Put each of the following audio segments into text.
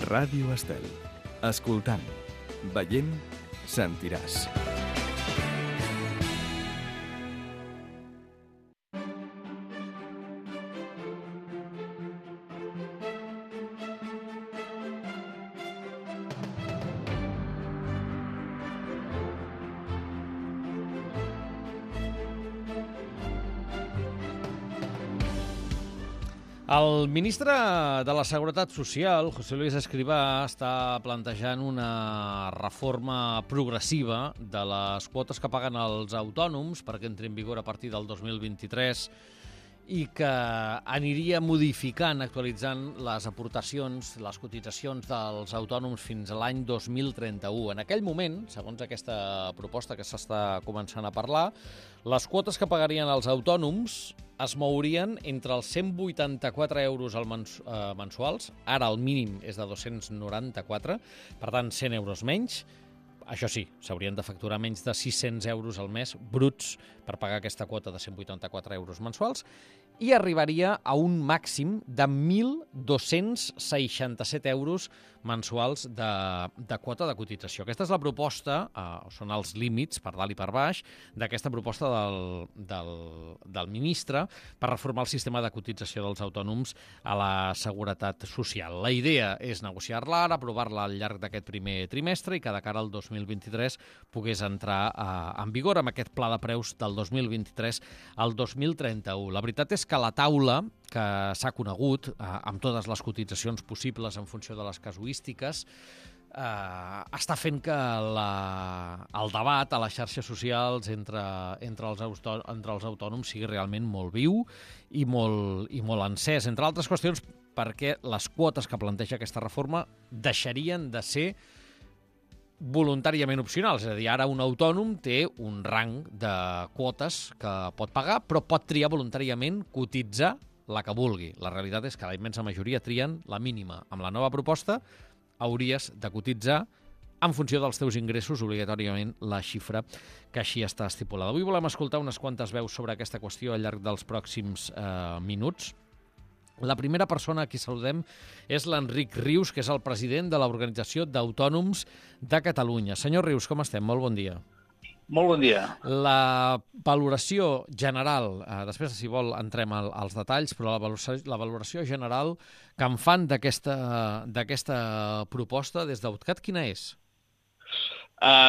Ràdio Estel. Escoltant, veient, sentiràs. El ministre de la Seguretat Social, José Luis Escrivá, està plantejant una reforma progressiva de les quotes que paguen els autònoms perquè entri en vigor a partir del 2023 i que aniria modificant, actualitzant les aportacions, les cotitzacions dels autònoms fins a l'any 2031. En aquell moment, segons aquesta proposta que s'està començant a parlar, les quotes que pagarien els autònoms es mourien entre els 184 euros mensuals, ara el mínim és de 294, per tant 100 euros menys. Això sí, s'haurien de facturar menys de 600 euros al mes bruts per pagar aquesta quota de 184 euros mensuals i arribaria a un màxim de 1.267 euros mensuals de quota de cotització. Aquesta és la proposta, són els límits per dalt i per baix, d'aquesta proposta del ministre per reformar el sistema de cotització dels autònoms a la Seguretat Social. La idea és negociar-la ara, aprovar-la al llarg d'aquest primer trimestre i que de cara al 2023 pogués entrar en vigor amb aquest pla de preus del 2023 al 2031. La veritat és que la taula que s'ha conegut, amb totes les cotitzacions possibles en funció de les casuístiques, està fent que el debat a les xarxes socials entre els autònoms sigui realment molt viu i molt encès. Entre altres qüestions, perquè les quotes que planteja aquesta reforma deixarien de ser voluntàriament opcionals. És a dir, ara un autònom té un rang de quotes que pot pagar, però pot triar voluntàriament cotitzar la que vulgui. La realitat és que la immensa majoria trien la mínima. Amb la nova proposta hauries de cotitzar en funció dels teus ingressos, obligatòriament la xifra que així està estipulada. Avui volem escoltar unes quantes veus sobre aquesta qüestió al llarg dels pròxims minuts. La primera persona a qui saludem és l'Enric Rius, que és el president de l'Organització d'Autònoms de Catalunya. Senyor Rius, com estem? Molt bon dia. Molt bon dia. La valoració general, després, si vol, entrem als detalls, però la valoració general que en fan d'aquesta proposta des d'Autcat, quina és?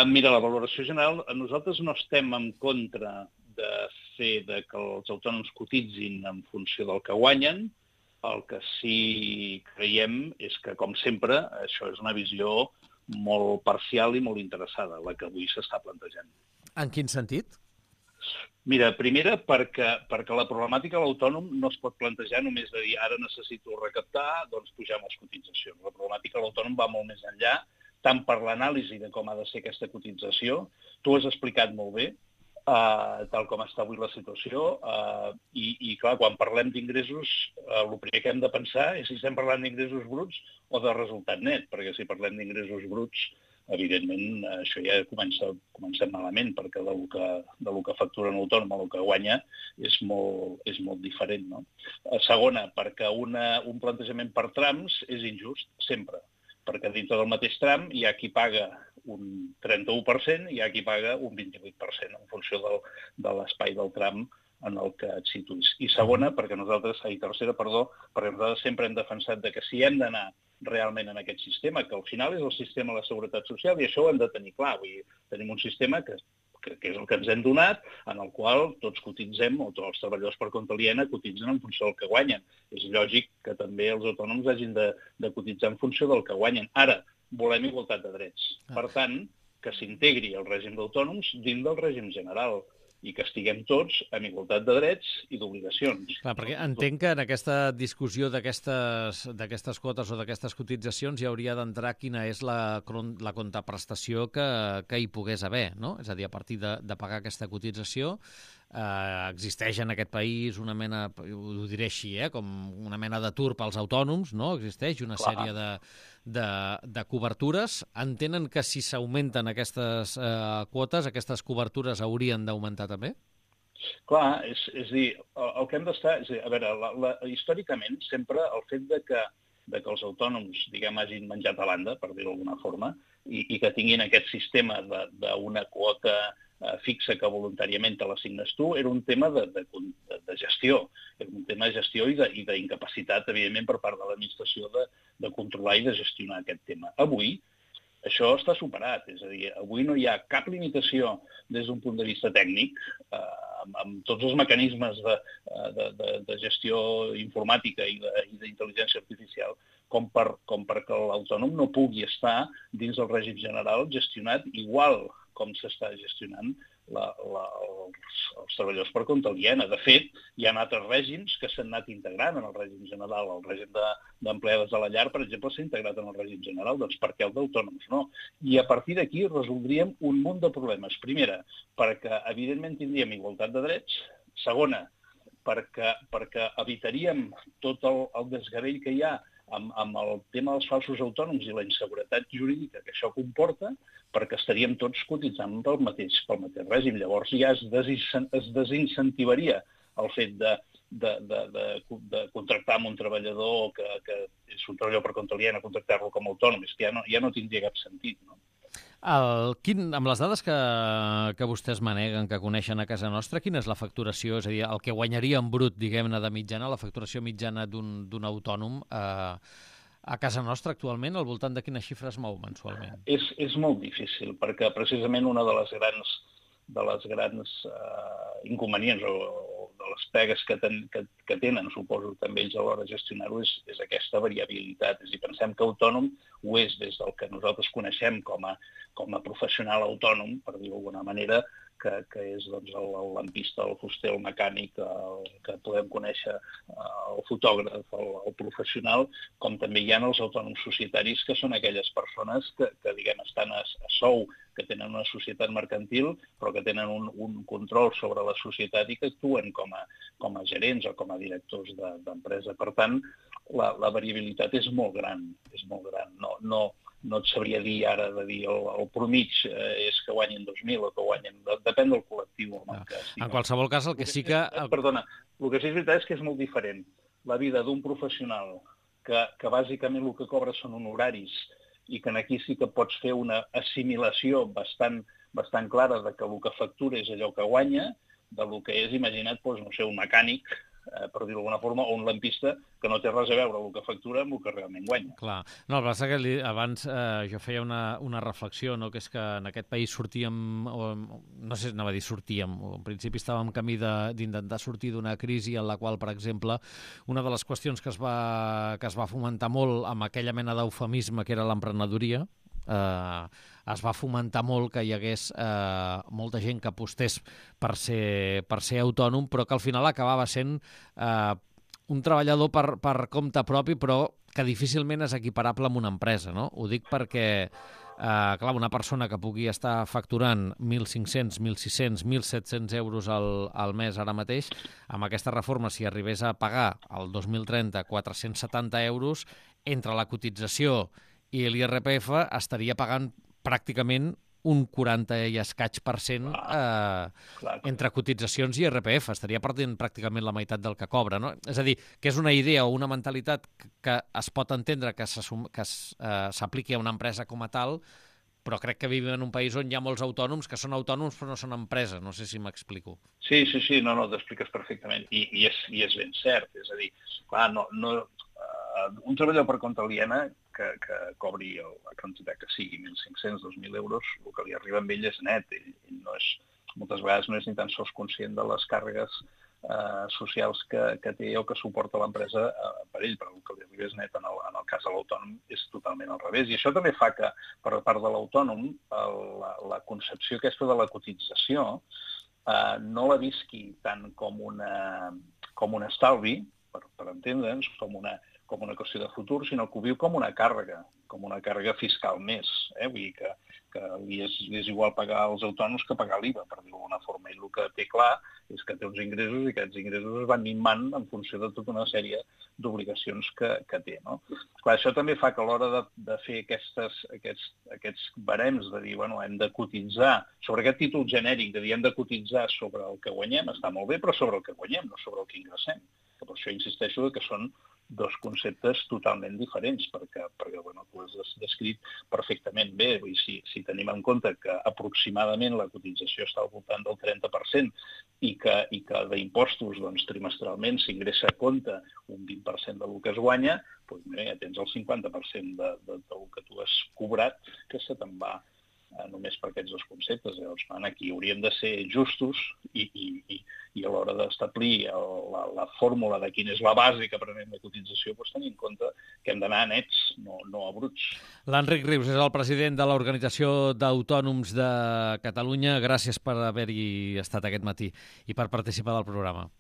Mira, la valoració general, nosaltres no estem en contra de fer que els autònoms cotitzin en funció del que guanyen. El que sí creiem és que, com sempre, això és una visió molt parcial i molt interessada, la que avui s'està plantejant. En quin sentit? Mira, primera, perquè la problemàtica de l'autònom no es pot plantejar només de dir ara necessito recaptar, doncs pugem les cotitzacions. La problemàtica de l'autònom va molt més enllà, tant per l'anàlisi de com ha de ser aquesta cotització. Tu has explicat molt bé, tal com està avui la situació, i clar, quan parlem d'ingressos, el primer que hem de pensar és si estem parlant d'ingressos bruts o de resultat net, perquè si parlem d'ingressos bruts, evidentment, això ja comencem malament, perquè del que factura un autònom o el que guanya és molt diferent, no? Segona, perquè un plantejament per trams és injust, sempre, perquè dintre del mateix tram hi ha qui paga un 31% i hi ha qui paga un 28% en funció de l'espai del tram en el que et situïs. I tercera, perquè nosaltres sempre hem defensat que si hem d'anar realment en aquest sistema, que al final és el sistema de la Seguretat Social, i això ho hem de tenir clar. Vull dir, tenim un sistema que és el que ens hem donat, en el qual tots cotitzem, o tots els treballadors per compte aliena cotitzen en funció del que guanyen. És lògic que també els autònoms hagin de cotitzar en funció del que guanyen. Ara, volem igualtat de drets. Per tant, que s'integri el règim d'autònoms dins del règim general i que estiguem tots amb igualtat de drets i d'obligacions. Clar, perquè entenc que en aquesta discussió d'aquestes quotes o d'aquestes cotitzacions hi hauria d'entrar quina és la contraprestació que hi pogués haver, no? És a dir, a partir de pagar aquesta cotització, existeix en aquest país una mena, ho diré així, com una mena d'atur pels autònoms, no? Existeix una sèrie de cobertures. Entenen que si s'augmenten aquestes quotes, aquestes cobertures haurien d'augmentar també? Clar, és a dir, el que hem d'estar... A veure, històricament, sempre el fet de que de que els autònoms, diguem, hagin menjat a banda, per dir-ho d'alguna forma, i que tinguin aquest sistema d'una quota fixa que voluntàriament te l'assignes tu, era un tema de gestió. Era un tema de gestió i d'incapacitat, evidentment, per part de l'administració de controlar i de gestionar aquest tema. Avui, això està superat, és a dir, avui no hi ha cap limitació des d'un punt de vista tècnic, amb tots els mecanismes de gestió informàtica i d'intel·ligència artificial, com perquè l'autònom no pugui estar dins del règim general gestionat igual com s'està gestionant els treballadors per compte aliena. De fet, hi ha altres règims que s'han anat integrant en el règim general. El règim d'empleades de la llar, per exemple, s'ha integrat en el règim general. Doncs per què el d'autònoms no? I a partir d'aquí resoldríem un munt de problemes. Primera, perquè evidentment tindríem igualtat de drets. Segona, perquè evitaríem tot el desgavell que hi ha amb el tema dels falsos autònoms i la inseguretat jurídica que això comporta, perquè estaríem tots cotitzant pel mateix règim. Llavors ja es desincentivaria el fet de contractar amb un treballador que és un treballador per compte aliena, contractar-lo com a autònom. És que ja no tindria cap sentit, no? Amb les dades que vostès maneguen, que coneixen a casa nostra, quina és la facturació? És a dir, el que guanyaria en brut, diguem-ne, de mitjana, la facturació mitjana d'un autònom a casa nostra actualment, al voltant de quines xifres mou mensualment? És molt difícil, perquè precisament una de les grans inconvenients o de les pegues que tenen, suposo, també ells a l'hora de gestionar-ho, és aquesta variabilitat. És a dir, pensem que autònom ho és des del que nosaltres coneixem com a professional autònom, per dir-ho d'alguna manera, que és doncs, el lampista, el fuster, el mecànic, el que podem conèixer, el fotògraf, el professional, com també hi ha els autònoms societaris, que són aquelles persones que diguem, estan a sou, que tenen una societat mercantil, però que tenen un control sobre la societat i que actuen com a gerents o com a directors d'empresa. Per tant, la variabilitat és molt gran, és molt gran. No et sabria dir ara de dir el promig és que guanyin 2.000 o que guanyin... Depèn del col·lectiu. En qualsevol cas, el que sí que... Perdona, el que sí és veritat és que és molt diferent. La vida d'un professional que bàsicament el que cobra són honoraris i que aquí sí que pots fer una assimilació bastant clara de que el que factura és allò que guanya, del que és, imagina't, doncs, no sé, un mecànic, per dir-ho d'alguna forma, o un lampista que no té res a veure el que factura amb el que realment guanya. Clar. No, el que passa que abans jo feia una reflexió, no? Que és que en aquest país sortíem, no sé si anava a dir sortíem, o en principi estàvem en camí d'intentar sortir d'una crisi en la qual, per exemple, una de les qüestions que es va fomentar molt amb aquella mena d'eufemisme que era l'emprenedoria, es va fomentar molt que hi hagués molta gent que apostés per ser autònom, però que al final acabava sent un treballador per compte propi, però que difícilment és equiparable amb una empresa, no? Ho dic perquè, clar, una persona que pugui estar facturant 1.500, 1.600, 1.700 euros al mes ara mateix, amb aquesta reforma, si arribés a pagar el 2030 470 euros, entre la cotització i l'IRPF estaria pagant pràcticament un 40 i escaig % entre cotitzacions i IRPF. Estaria perdent pràcticament la meitat del que cobra, no? És a dir, que és una idea o una mentalitat que es pot entendre que s'apliqui a una empresa com a tal, però crec que vivim en un país on hi ha molts autònoms que són autònoms però no són empreses. No sé si m'explico. Sí, no, t'expliques perfectament. I és ben cert. És a dir, clar, un treballador per compte aliena que cobri la quantitat que sigui, 1.500, 2.000 euros, el que li arriba amb ell és net. Ell moltes vegades no és ni tan sols conscient de les càrregues socials que té o que suporta l'empresa per ell, però el que li arriba és net. En el cas de l'autònom és totalment al revés. I això també fa que, per part de l'autònom, la concepció aquesta de la cotització no la visqui tant com un estalvi, per entendre'ns, com una qüestió de futur, sinó que ho viu com una càrrega fiscal més. Vull dir que li és igual pagar els autònoms que pagar l'IVA, per dir-ho d'alguna forma. I el que té clar és que té uns ingressos i aquests ingressos es van minvant en funció de tota una sèrie d'obligacions que té. No? Clar, això també fa que a l'hora de fer aquests barems de dir, bueno, hem de cotitzar, sobre aquest títol genèric de dir hem de cotitzar sobre el que guanyem, està molt bé, però sobre el que guanyem, no sobre el que ingressem. Per això insisteixo que són dos conceptes totalment diferents, perquè bueno, tu has descrit perfectament bé. Vull dir, si tenim en compte que aproximadament la cotització està al voltant del 30% i que d'impostos doncs, trimestralment s'ingressa a compte un 20% del que es guanya, doncs, mira, ja tens el 50% del que tu has cobrat que se te'n va només per aquests dos conceptes. Llavors, aquí hauríem de ser justos i a l'hora d'establir la fórmula de quina és la base que prenem de cotització, doncs tenir en compte que hem d'anar a nets, no a bruts. L'Enric Rius és el president de l'Organització d'Autònoms de Catalunya. Gràcies per haver-hi estat aquest matí i per participar del programa.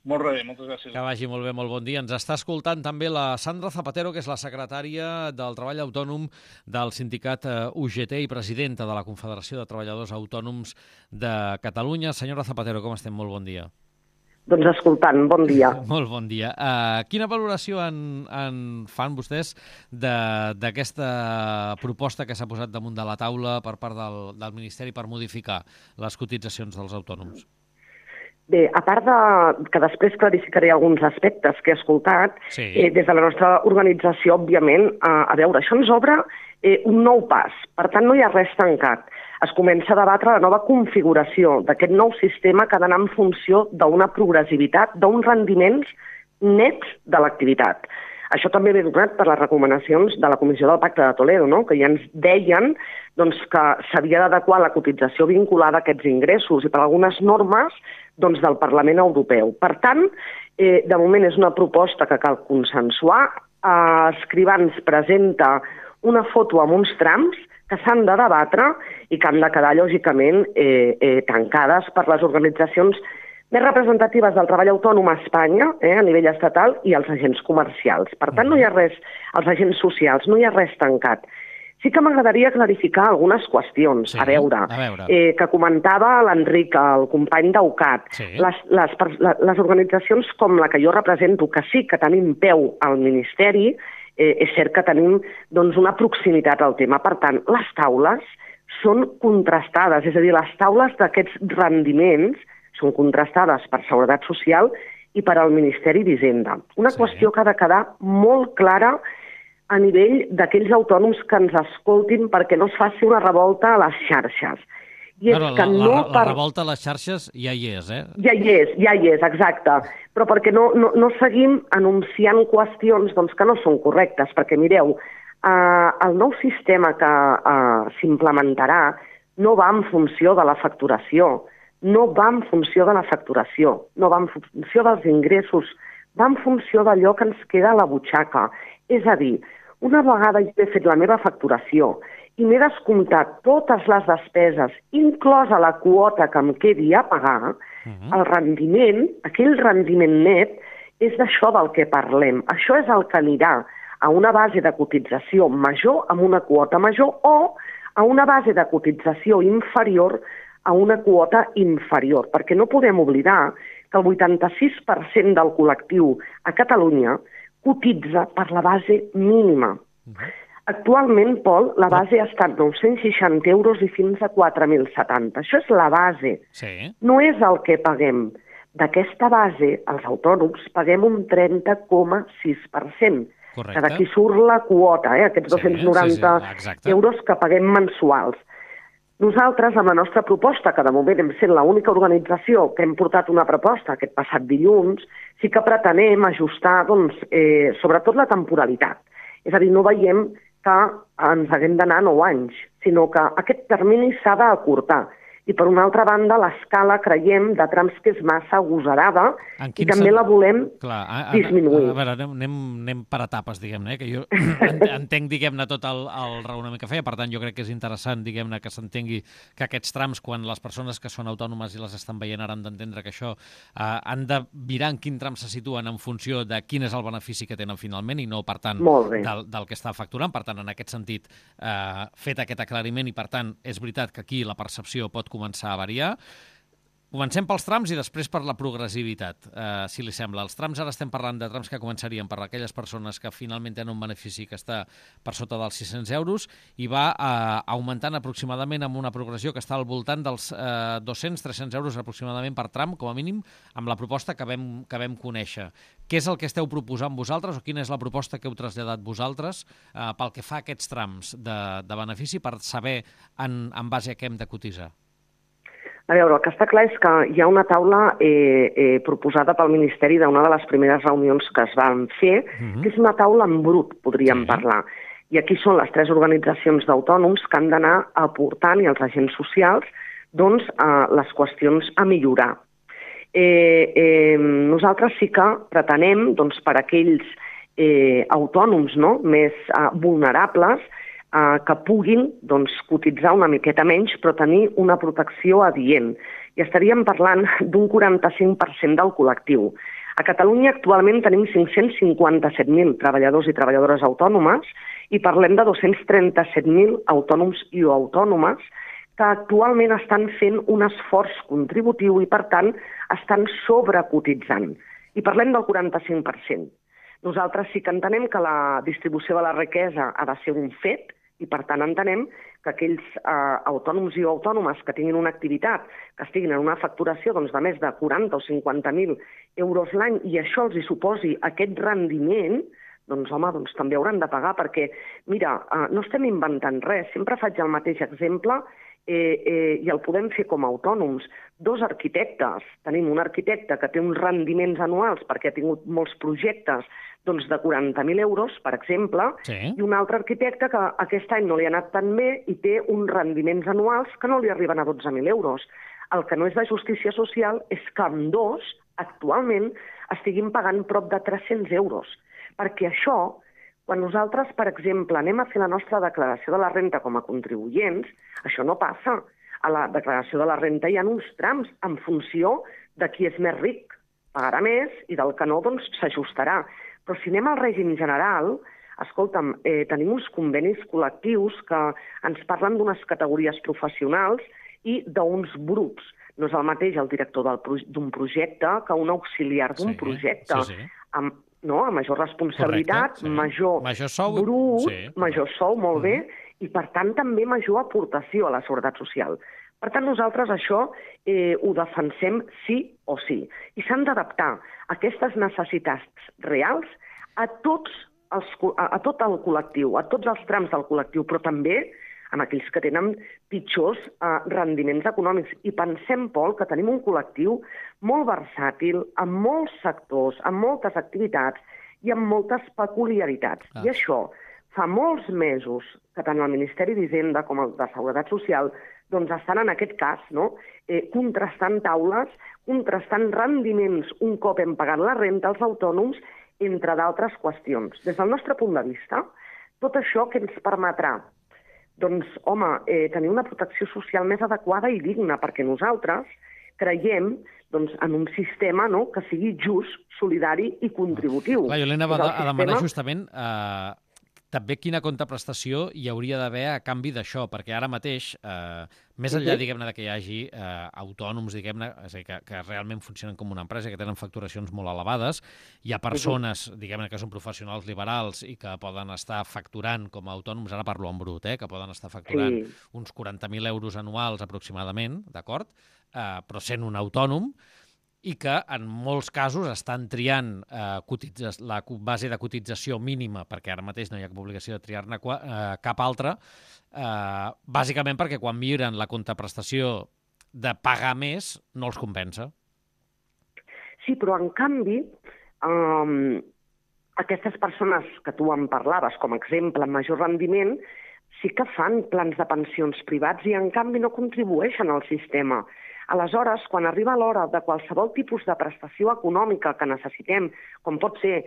Molt bé, moltes gràcies. Que vagi molt bé, molt bon dia. Ens està escoltant també la Sandra Zapatero, que és la secretària del Treball Autònom del sindicat UGT i presidenta de la Confederació de Treballadors Autònoms de Catalunya. Senyora Zapatero, com estem? Molt bon dia. Doncs escoltant, bon dia. Molt bon dia. Quina valoració en fan vostès d'aquesta proposta que s'ha posat damunt de la taula per part del Ministeri per modificar les cotitzacions dels autònoms? Bé, a part que després clarificaré alguns aspectes que he escoltat, sí. Des de la nostra organització, òbviament, a veure, això ens obre un nou pas. Per tant, no hi ha res tancat. Es comença a debatre la nova configuració d'aquest nou sistema que ha d'anar en funció d'una progressivitat, d'uns rendiments nets de l'activitat. Això també ve donat per les recomanacions de la Comissió del Pacte de Toledo, no? Que ja ens deien doncs, que s'havia d'adequar la cotització vinculada a aquests ingressos i per algunes normes doncs, del Parlament Europeu. Per tant, de moment és una proposta que cal consensuar. Escrivans presenta una foto amb uns trams que s'han de debatre i que han de quedar, lògicament, tancades per les organitzacions més representatives del treball autònom a Espanya, a nivell estatal, i els agents comercials. Per tant, no hi ha res, els agents socials, no hi ha res tancat. Sí que m'agradaria clarificar algunes qüestions, sí, a veure. Que comentava l'Enric, el company d'UCAT. Sí. Les organitzacions com la que jo represento, que sí que tenim peu al Ministeri, és cert que tenim doncs, una proximitat al tema. Per tant, les taules són contrastades, és a dir, les taules d'aquests rendiments són contrastades per Seguretat Social i per al Ministeri d'Hisenda. Una qüestió que ha de quedar molt clara a nivell d'aquells autònoms que ens escoltin perquè no es faci una revolta a les xarxes. I és que la revolta a les xarxes ja hi és, Ja hi és, exacte. Però perquè no seguim anunciant qüestions doncs, que no són correctes, perquè mireu, el nou sistema que s'implementarà no va en funció de la facturació, no va en funció de la facturació, no va en funció dels ingressos, va en funció d'allò que ens queda a la butxaca. És a dir, una vegada jo he fet la meva facturació i m'he descomptat totes les despeses, inclosa la quota que em quedi a pagar, el rendiment, aquell rendiment net, és d'això del que parlem. Això és el que anirà a una base de cotització major amb una quota major o a una base de cotització inferior a una quota inferior, perquè no podem oblidar que el 86% del col·lectiu a Catalunya cotitza per la base mínima. Actualment, Pol, la base ha estat 960 euros i fins a 4.070. Això és la base. Sí. No és el que paguem. D'aquesta base, els autònoms paguem un 30,6%. Correcte. Que d'aquí surt la quota, aquests 290 euros que paguem mensuals. Nosaltres, amb la nostra proposta, que de moment hem sent l'única organització que hem portat una proposta aquest passat dilluns, sí que pretenem ajustar, doncs, sobretot la temporalitat. És a dir, no veiem que ens haguem d'anar 9 anys, sinó que aquest termini s'ha d'acurtar. I, per una altra banda, l'escala, creiem, de trams que és massa agosarada i també la volem disminuir. A veure, anem per etapes, diguem-ne, que jo entenc, diguem-ne, tot el raonament que feia. Per tant, jo crec que és interessant, diguem-ne, que s'entengui que aquests trams, quan les persones que són autònomes i les estan veient ara han d'entendre que això han de mirar en quin tram se situen en funció de quin és el benefici que tenen finalment i no, per tant, del que està facturant. Per tant, en aquest sentit, fet aquest aclariment i, per tant, és veritat que aquí la percepció pot començar a variar. Comencem pels trams i després per la progressivitat, si li sembla. Els trams, ara estem parlant de trams que començarien per aquelles persones que finalment tenen un benefici que està per sota dels 600 euros i va augmentant aproximadament amb una progressió que està al voltant dels 200-300 euros aproximadament per tram, com a mínim, amb la proposta que vam conèixer. Què és el que esteu proposant vosaltres o quina és la proposta que heu traslladat vosaltres pel que fa a aquests trams de benefici per saber en base a què hem de cotitzar? A veure, el que està clar és que hi ha una taula proposada pel Ministeri d'una de les primeres reunions que es van fer, que és una taula en brut, podríem parlar. I aquí són les 3 organitzacions d'autònoms que han d'anar aportant, i els agents socials, doncs, les qüestions a millorar. Nosaltres sí que pretenem, doncs, per aquells autònoms més vulnerables, que puguin cotitzar una miqueta menys, però tenir una protecció adient. I estaríem parlant d'un 45% del col·lectiu. A Catalunya actualment tenim 557.000 treballadors i treballadores autònomes i parlem de 237.000 autònoms i autònomes que actualment estan fent un esforç contributiu i, per tant, estan sobrecotitzant. I parlem del 45%. Nosaltres sí que entenem que la distribució de la riquesa ha de ser un fet, i per tant entenem que aquells autònoms i autònomes que tinguin una activitat, que estiguin en una facturació de més de 40 o 50.000 euros l'any i això els hi suposi aquest rendiment, doncs també hauran de pagar perquè, mira, no estem inventant res, sempre faig el mateix exemple i el podem fer com a autònoms. 2 arquitectes, tenim un arquitecte que té uns rendiments anuals perquè ha tingut molts projectes de 40.000 euros, per exemple, i un altre arquitecte que aquest any no li ha anat tan bé i té uns rendiments anuals que no li arriben a 12.000 euros. El que no és de justícia social és que ambdós, actualment, estiguin pagant prop de 300 euros. Perquè això, quan nosaltres, per exemple, anem a fer la nostra declaració de la renta com a contribuents, això no passa. A la declaració de la renta hi ha uns trams en funció de qui és més ric. Pagarà més i del que no, doncs, s'ajustarà. Però si anem al règim general, escolta'm, tenim uns convenis col·lectius que ens parlen d'unes categories professionals i d'uns grups. No és el mateix el director d'un projecte que un auxiliar d'un projecte. Amb major responsabilitat, major brut, major sou, molt bé, i per tant també major aportació a la Seguretat Social. Per tant, nosaltres això ho defensem sí o sí. I s'han d'adaptar aquestes necessitats reals a tot el col·lectiu, a tots els trams del col·lectiu, però també amb aquells que tenen pitjors rendiments econòmics. I pensem, Pol, que tenim un col·lectiu molt versàtil, amb molts sectors, amb moltes activitats i amb moltes peculiaritats. I això fa molts mesos que tant el Ministeri d'Hisenda com el de Seguretat Social estan en aquest cas contrastant taules, contrastant rendiments un cop hem pagat la renta als autònoms, entre d'altres qüestions. Des del nostre punt de vista, tot això que ens permetrà tenir una protecció social més adequada i digna, perquè nosaltres creiem en un sistema que sigui just, solidari i contributiu. Clar, jo l'anava a demanar justament també quina contraprestació hi hauria d'haver a canvi d'això, perquè ara mateix, més enllà, diguem-ne, que hi hagi autònoms, diguem-ne, és a dir, que realment funcionen com una empresa, que tenen facturacions molt elevades, hi ha persones, diguem-ne, que són professionals liberals i que poden estar facturant com a autònoms, ara parlo en brut, que poden estar facturant uns 40.000 euros anuals aproximadament, d'acord? Però sent un autònom, i que en molts casos estan triant la base de cotització mínima, perquè ara mateix no hi ha cap obligació de triar-ne cap altra, bàsicament perquè quan miren la contraprestació de pagar més no els compensa. Sí, però en canvi, aquestes persones que tu em parlaves com a exemple amb major rendiment sí que fan plans de pensions privats i en canvi no contribueixen al sistema. Aleshores, quan arriba l'hora de qualsevol tipus de prestació econòmica que necessitem, com pot ser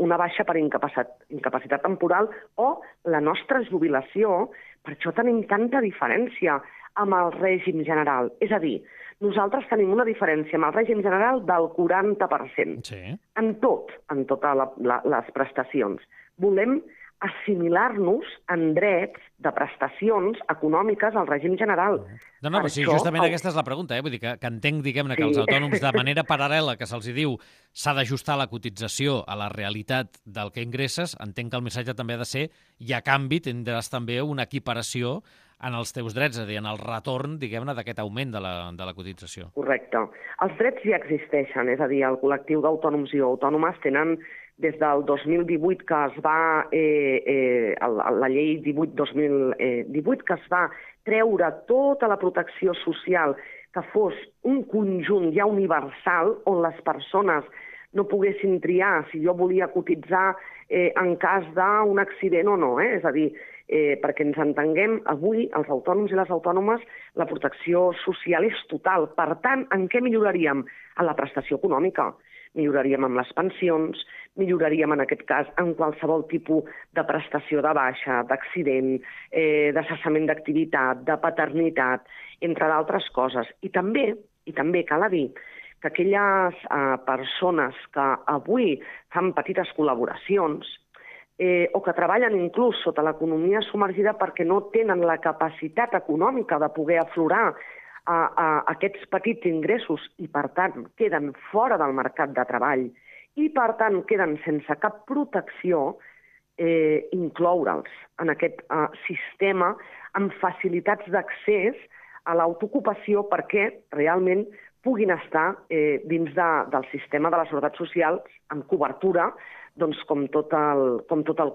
una baixa per incapacitat temporal o la nostra jubilació, per això tenim tanta diferència amb el règim general. És a dir, nosaltres tenim una diferència amb el règim general del 40%. En totes les prestacions. Volem assimilar-nos en drets de prestacions econòmiques al règim general. No, però sí, justament aquesta és la pregunta, vull dir que entenc, diguem-ne, que els autònoms de manera paral·lela, que se'ls diu s'ha d'ajustar la cotització a la realitat del que ingresses, entenc que el missatge també ha de ser i a canvi tindràs també una equiparació en els teus drets, és a dir, en el retorn, diguem-ne, d'aquest augment de la cotització. Correcte. Els drets ja existeixen, és a dir, el col·lectiu d'autònoms i autònomes tenen des del 2018 que es va, la llei 18-2018, que es va treure tota la protecció social que fos un conjunt ja universal on les persones no poguessin triar si jo volia cotitzar en cas d'un accident o no. És a dir, perquè ens entenguem, avui els autònoms i les autònomes la protecció social és total. Per tant, en què milloraríem? En la prestació econòmica. Milloraríem amb les pensions, milloraríem en aquest cas en qualsevol tipus de prestació de baixa, d'accident, de cessament d'activitat, de paternitat, entre d'altres coses. I també cal dir que aquelles persones que avui fan petites col·laboracions o que treballen inclús sota l'economia submergida perquè no tenen la capacitat econòmica de poder aflorar a aquests petits ingressos i, per tant, queden fora del mercat de treball i, per tant, queden sense cap protecció, incloure'ls en aquest sistema amb facilitats d'accés a l'autoocupació perquè realment puguin estar dins del sistema de la seguretat social amb cobertura doncs, com tot el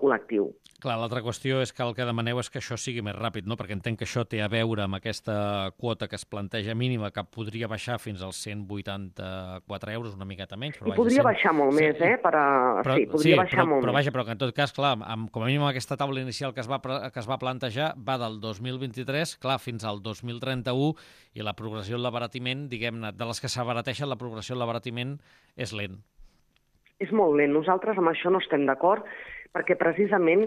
col·lectiu. Clar, l'altra qüestió és que el que demaneu és que això sigui més ràpid, no? Perquè entenc que això té a veure amb aquesta quota que es planteja mínima, que podria baixar fins als 184 euros, una miqueta menys. Però I podria baixar molt més, podria baixar molt més. Però vaja, però que en tot cas, clar, com a mínim aquesta taula inicial que es va plantejar va del 2023, clar, fins al 2031, i la progressió en l'abaratiment, diguem-ne, de les que s'abarateixen, la progressió en l'abaratiment és lent. És molt lent. Nosaltres amb això no estem d'acord perquè precisament,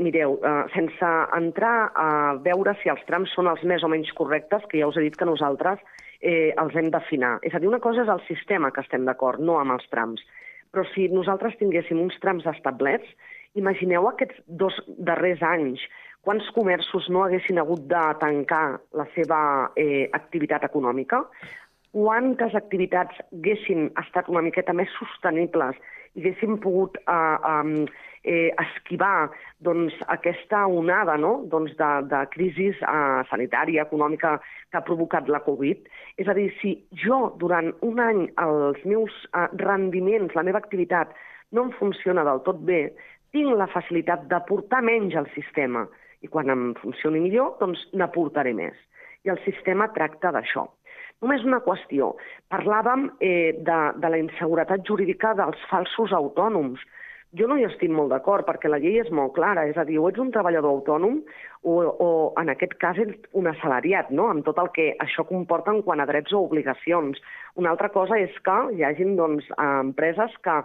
mireu, sense entrar a veure si els trams són els més o menys correctes, que ja us he dit que nosaltres els hem d'afinar. És a dir, una cosa és el sistema que estem d'acord, no amb els trams. Però si nosaltres tinguéssim uns trams establerts, imagineu aquests 2 darrers anys, quants comerços no haguessin hagut de tancar la seva activitat econòmica, quantes activitats haguessin estat una miqueta més sostenibles i haguéssim pogut esquivar aquesta onada de crisi sanitària, econòmica que ha provocat la Covid. És a dir, si jo durant un any els meus rendiments, la meva activitat no em funciona del tot bé, tinc la facilitat d'aportar menys al sistema i quan em funcioni millor, doncs n'aportaré més. I el sistema tracta d'això. Només una qüestió. Parlàvem de la inseguretat jurídica dels falsos autònoms. Jo no hi estic molt d'acord perquè la llei és molt clara, és a dir, o ets un treballador autònom o en aquest cas ets un assalariat, no? Amb tot el que això comporta en quant a drets o obligacions. Una altra cosa és que hi hagin empreses que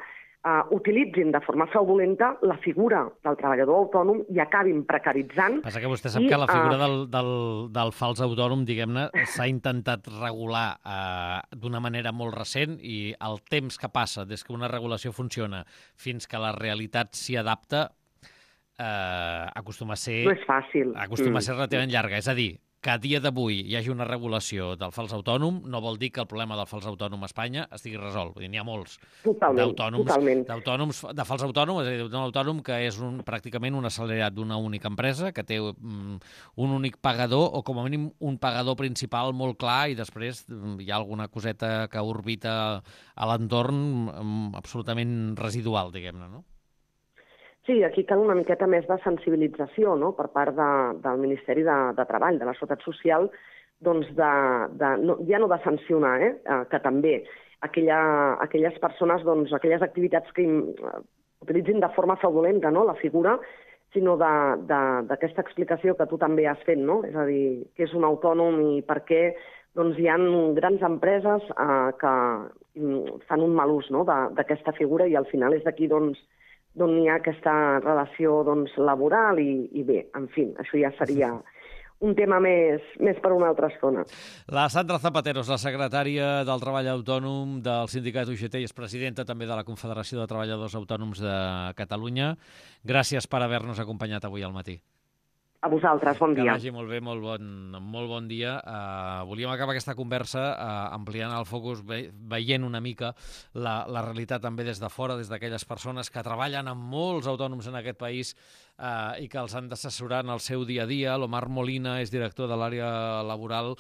utilitzin de forma fraudulenta la figura del treballador autònom i acabin precaritzant. Passa que vostè sap que la figura del fals autònom, diguem-ne, s'ha intentat regular d'una manera molt recent i el temps que passa des que una regulació funciona fins que la realitat s'hi adapta acostuma a ser... No és fàcil. Acostuma a ser relativament llarga. És a dir, que a dia d'avui hi hagi una regulació del fals autònom no vol dir que el problema del fals autònom a Espanya estigui resolt. Vull dir, n'hi ha molts d'autònoms, de fals autònom, és a dir, d'un autònom que és pràcticament un assalariat d'una única empresa, que té un únic pagador, o com a mínim un pagador principal molt clar, i després hi ha alguna coseta que orbita a l'entorn absolutament residual, diguem-ne, no? Sí, aquí cal una miqueta més de sensibilització, no?, per part del Ministeri de Treball, de la Seguretat Social, doncs ja no de sancionar, que també aquelles persones, doncs aquelles activitats que utilitzin de forma fraudulenta, no?, la figura, sinó d'aquesta explicació que tu també has fet, no?, és a dir, què és un autònom i per què doncs hi ha grans empreses que fan un mal ús, no?, d'aquesta figura i al final és d'aquí d'on hi ha aquesta relació laboral i bé, en fi, això ja seria un tema més per una altra estona. La Sandra Zapatero és la secretària del Treball Autònom del sindicat UGT i és presidenta també de la Confederació de Treballadors Autònoms de Catalunya. Gràcies per haver-nos acompanyat avui al matí. A vosaltres, bon dia. Que vagi molt bé, molt bon dia. Volíem acabar aquesta conversa ampliant el focus, veient una mica la realitat també des de fora, des d'aquelles persones que treballen amb molts autònoms en aquest país i que els han d'assessorar en el seu dia a dia. L'Omar Molina és director de l'àrea laboral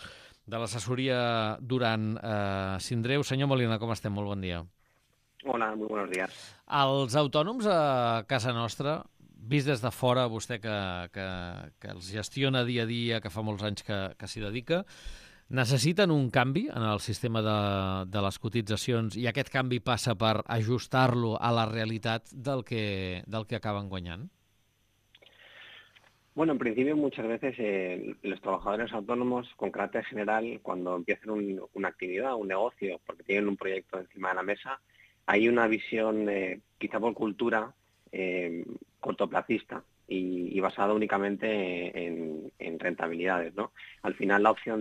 de l'assessoria Duran Sindreu. Senyor Molina, com estem? Molt bon dia. Hola, muy buenos días. Els autònoms a casa nostra, vist des de fora, vostè que els gestiona dia a dia, que fa molts anys que s'hi dedica, necessiten un canvi en el sistema de les cotitzacions i aquest canvi passa per ajustar-lo a la realitat del que acaben guanyant? Bueno, en principio muchas veces los trabajadores autónomos con carácter general, cuando empiezan una actividad, un negocio, porque tienen un proyecto encima de la mesa, hay una visión, quizá por cultura, cortoplacista y basada únicamente en rentabilidades, ¿no? Al final la opción